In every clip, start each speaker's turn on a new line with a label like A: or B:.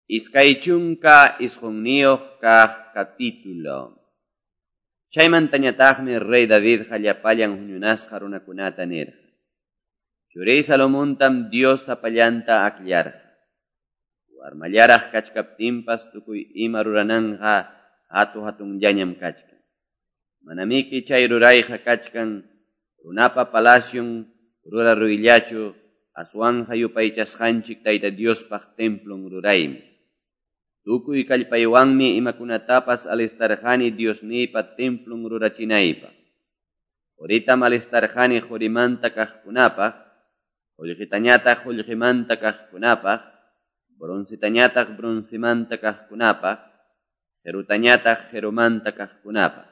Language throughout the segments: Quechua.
A: 29 kaq capítulo. Chaymantañataqmi rey Davidqa llapallan huñunasqa runakunata nirqa. Churiy Salomontam Dios sapallanta akllarqa. Warmallaraq kachkaptinpas tukuy ima rurananqa hatu hatunllañam kachkan. Manamiki chay rurayqa kachkan runapa palacion ruraruyllachu aswanja yupaychasqanchik Tayta Diospaq templon ruraymi. Tukuy kallpaywanmi imakunatapas alistarqani Diosniypa templon rurachinaypaq. Quritam alistarqani qurimanta kaqkunapaq, qullqitañataq qullqimanta kaqkunapaq, broncitañataq broncimanta kaqkunapaq, qirutañataq qirumanta kaqkunapaq.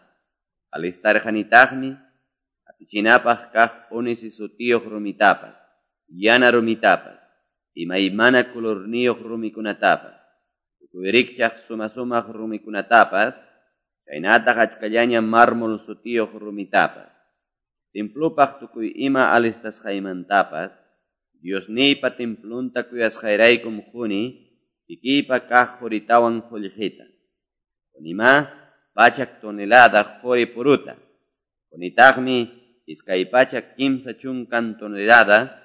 A: Alistarqanitaqmi apichinapaq kaq ónice sutiyuq rumitapas, yana rumitapas, imaymana colorniyuq rumikunatapas. Tukuy suma-sumaq rumikunatapas, chaynataq achkallaña mármol sutiyuq rumitapas. Templupaq tukuy ima alistasqaymantapas, Diosniypa templunta kuyasqayraykum quni, kikiypa kaq quritawan qullqita. Qunima 100 tonelada quri puruta. Qunitaqmi 230 tonelada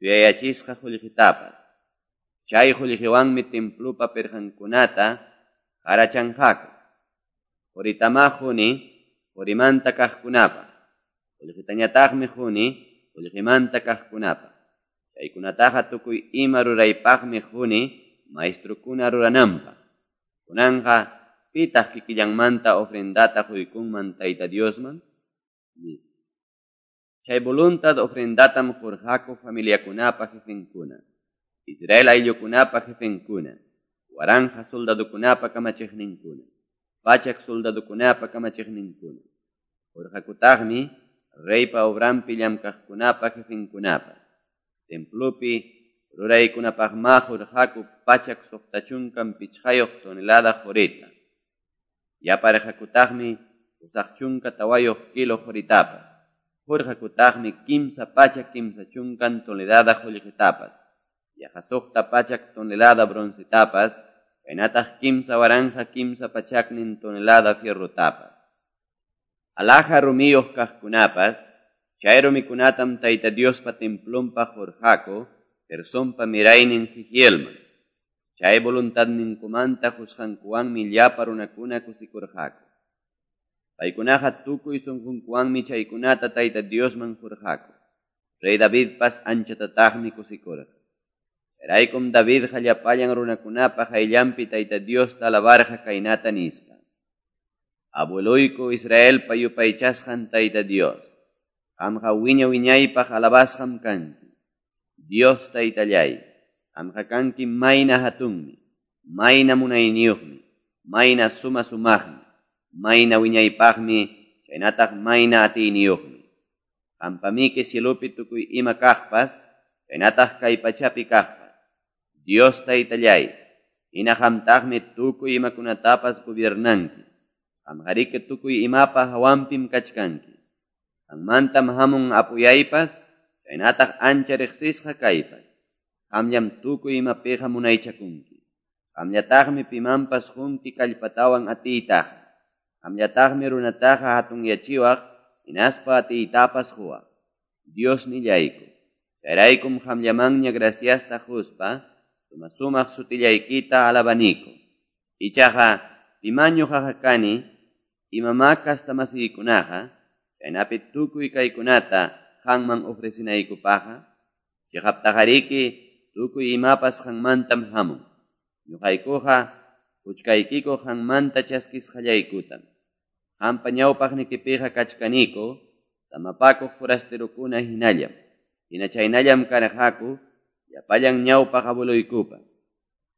A: chuyayachisqa qullqitapas. Chay qullqiwanmi templupa pirqankunata qarachanqaku. Quritamá quni qurimanta kaqkunapaq. Qullqitañataqmi quni qullqimanta kaqkunapaq. Chaykunataqa tukuy ima ruraypaqmi quni maestrukuna rurananpaq. Kunanqa pitaq kikillanmanta ofrendata quykunman Tayta Diosman? Chay voluntad ofrendatam qurqaku familiakunapa jefenkuna, Israel ayllukunapa jefenkuna, waranja soldadukunapa kamachiqninkuna, 100 soldadukunapa kamachiqninkuna. Qurqakutaqmi reypa obranpi llamkaqkunapa jefenkunapa. Templupi ruraykunapaqma qurqaku 165 tonelada qurita. Yaparqakutaqmi 84 kilo quritapas. Qurqakutaqmi 330 tonelada qullqitapas. Yaqa 600 tonelada broncetapas, chaynataq 3300 tonelada fierrotapas. Alhaja rumiyuq kaqkunapas, chay rumikunatam Tayta Diospa templonpaq qurqaku, Gersonpa miraynin Jehielman. Chay voluntadninkumanta qusqankuwanmi llapa runakuna kusikurqaku. Paykunaqa tukuy sunqunkuwanmi chaykunata Tayta Diosman qurqaku. Rey Davidpas anchatataqmi kusikurqa. Chayraykum Davidqa llapallan runakunapa qayllanpi Tayta Diosta alabarqa kaynata nispa. Abueluyku Israelpa yupaychasqan Tayta Dios, qamqa wiña wiñaypaq alabasqam kanki. Dios Taytallay, qamqa kanki mayna hatunmi, mayna munayniyuqmi, mayna suma sumaqmi, mayna wiñaypaqmi, chaynataq mayna atiyniyuqmi. Qampamiki cielupi tukuy ima kaqpas, chaynataq kay pachapi kaqpas. Dios Taytallay, hina qamtaqmi tukuy imakunatapas gobiernanki. Qamqariki tukuy imapa hawanpim kachkanki. Qammantam hamun apuyaypas, chaynataq ancha riqsisqa kaypas. Qamllam tukuy imapiqa munaychakunki. Qamllataqmi pimanpas qunki kallpatawan atiytaqa. Qamllataqmi runataqa hatunyachiwaq, hinaspa atiytapas quwaq. Dios nillayku, chayraykum qamllamanña graciasta quspa, suma-sumaq sutillaykita alabaniku. Ichaqa piman ñuqaqa kani, imamá kastamasiykunaqa, chaynapi tukuy kaykunata qanman ofrecinaykupaqqa, chiqaptaqariki tukuy imapas qanmantam hamun. Ñuqaykuqa quchkaykiku qanmanta chaskisqallaykutam. Qampa ñawpaqnikipiqa kachkaniku, samapakuq forastirukuna hinallam. Hina chaynallam karqaku, llapallan ñawpaq abueluykupa.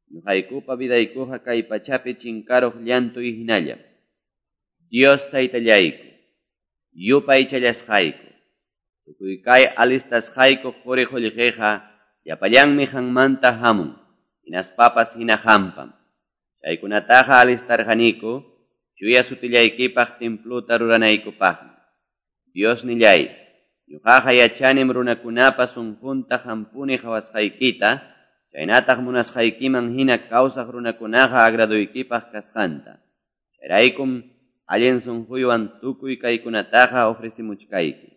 A: Ñuqaykupa vidaykuqa kay pachapi chinkaruq llantuy hinallam. Dios Taytallayku, yupaychallasqayku, tukuy kay alistasqayku quri qullqiqa llapallanmi qanmanta hamun, hinaspapas hina qampam. Chaykunataqa alistarqaniku, chuya sutillaykipaq templuta ruranaykupaqmi. Dios nillay, ñuqaqa yachanim runakunapa sunqunta qampuni qhawasqaykita, chaynataq munasqaykiman hina kawsaq runakunaqa agradoykipaq kasqanta. Chayraykum allin sunquywan tukuy kaykunataqa ofrecimuchkayki.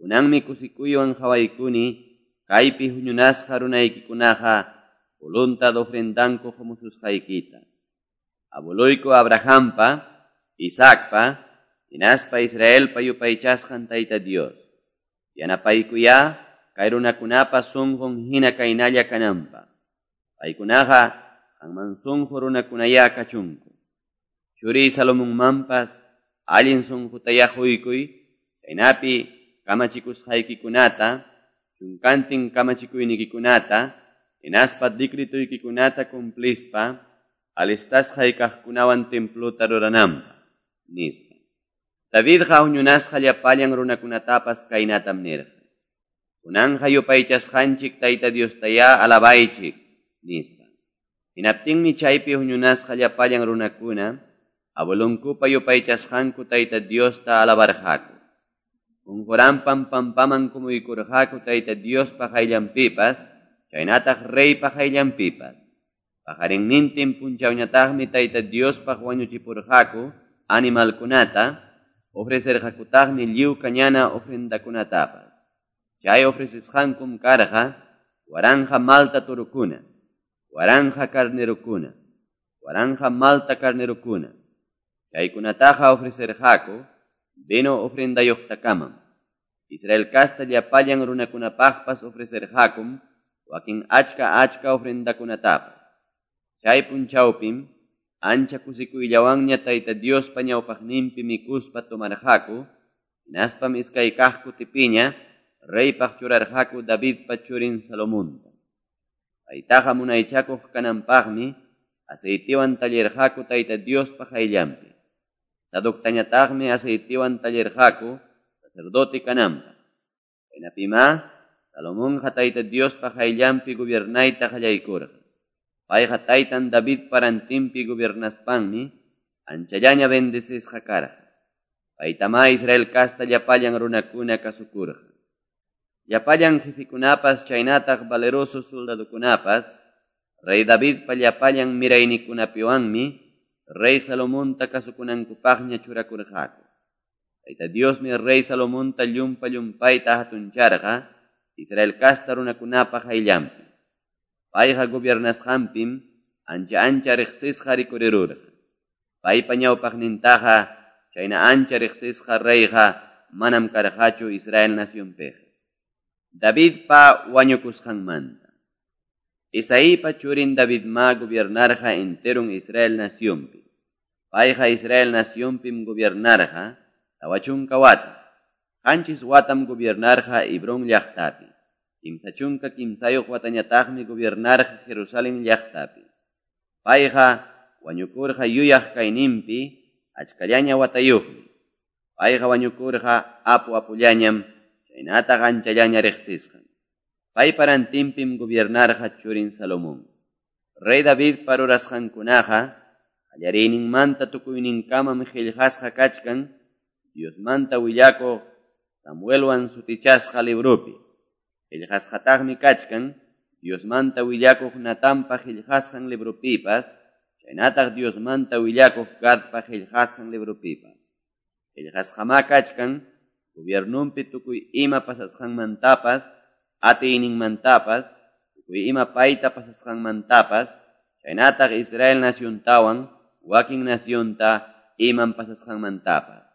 A: Kunanmi kusikuywan qawaykuni kaypi huñunasqa runaykikunaqa voluntad ofrendanku qumususqaykita. Abueloyku Abrahampa, Isaacpa, hinaspa Israelpa yupaychasqan Tayta Dios. Yanapaykuyá kay runakunapa sunqun hina kaynalla kananpaq. Paykunaqa qanman sunqu runakunayá kachunku. Churiy Salomonmanpas allin sunqutayá quykuy, chaynapi kamachikusqaykikunata, chunkantin kamachikuynikikunata, hinaspa decretuykikunata cumplispa, alistasqay kaqkunawan templota rurananpaq, nispa. Davidqa huñunasqa llapallan runakunatapas kaynatam nirqa: Kunanqa yupaychasqanchik Tayta Diostayá alabaychik, nispa. Hinaptinmi chaypi huñunasqa llapallan runakuna abuelonkupa yupaychasqanku Tayta Diosta alabarqaku. Qunquranpam pampaman kumuykurqaku Tayta Diospa qayllanpipas, chaynataq reypa qayllanpipas. Paqarinnintin punchawñataqmi Tayta Diospaq wañuchipurqaku animalkunata, ofrecerqakutaqmi lliw kañana ofrendakunatapas. Chay ofrecesqankum karqa 1000 malta torokuna, 1000 carnerokuna, 1000 malta carnerokuna. Chaykunataqa ofrecerqaku vino ofrendayuqtakamam. Israel kasta llapallan runakunapaqpas ofrecerqakum wakin achka achka ofrendakunatapas. Chay punchawpim ancha kusikuyllawanña Tayta Diospa ñawpaqninpi mikuspa tomarqaku, hinaspam iskay kaq kutipiña reypaq churarqaku Davidpa churin Salomonta. Paytaqa munaychakuq kananpaqmi aceitiwan tallirqaku Tayta Diospa qayllanpi. Sadoctañataqmi aceitiwan tallirqaku sacerdote kananpaq. Chaynapimá Salomonqa Tayta Diospa qayllanpi gobiernayta qallaykurqa. Payqa taytan Davidpa rantinpi gobernaspanmi anchallaña bendecisqa karqa. Paytamá Israel kasta llapallan runakuna kasukurqa. Llapallan jefekunapas chaynataq valeroso soldadokunapas rey Davidpa llapallan miraynikunapiwanmi rey Salomonta kasukunankupaqña churakurqaku. Tayta Diosmi rey Salomonta llumpa llumpayta hatuncharqa Israel kasta runakunapa qayllanpi. Payqa gobiernasqanpim ancha ancha riqsisqa rikurirurqa. Paypa ñawpaqnintaqa chayna ancha riqsisqa reyqa manam karqachu Israel nacionpiqa. Davidpa wañukusqanmanta. Isaípa churin Davidma gobiernarqa enteron Israel nacionpi. Payqa Israel nacionpim gobiernarqa 40 wata. 7 watam gobiernarqa Hebrón llaqtapi. 33 watañataqmi gobiernarqa Jerusalén llaqtapi. Payqa wañukurqa yuyaq kayninpi achkallaña watayuqmi. Payqa wañukurqa apu apullañam chaynataq anchallaña riqsisqan. Paypa rantinpim gobiernarqa churin Salomón. Rey Davidpa rurasqankunaqa qallariyninmanta tukuyninkamam qillqasqa kachkan Diosmanta willakuq Samuelwan sutichasqa libropi. Qillqasqataqmi kachkan Diosmanta willakuq Natanpa qillqasqan libropipas, chaynataq Diosmanta willakuq Gadpa qillqasqan libropipas. Qillqasqamá kachkan gobiernunpi tukuy ima pasasqanmantapas, atiyninmantapas, tukuy ima payta pasasqanmantapas, chaynataq Israel naciontawan wakin nacionta iman pasasqanmantapas.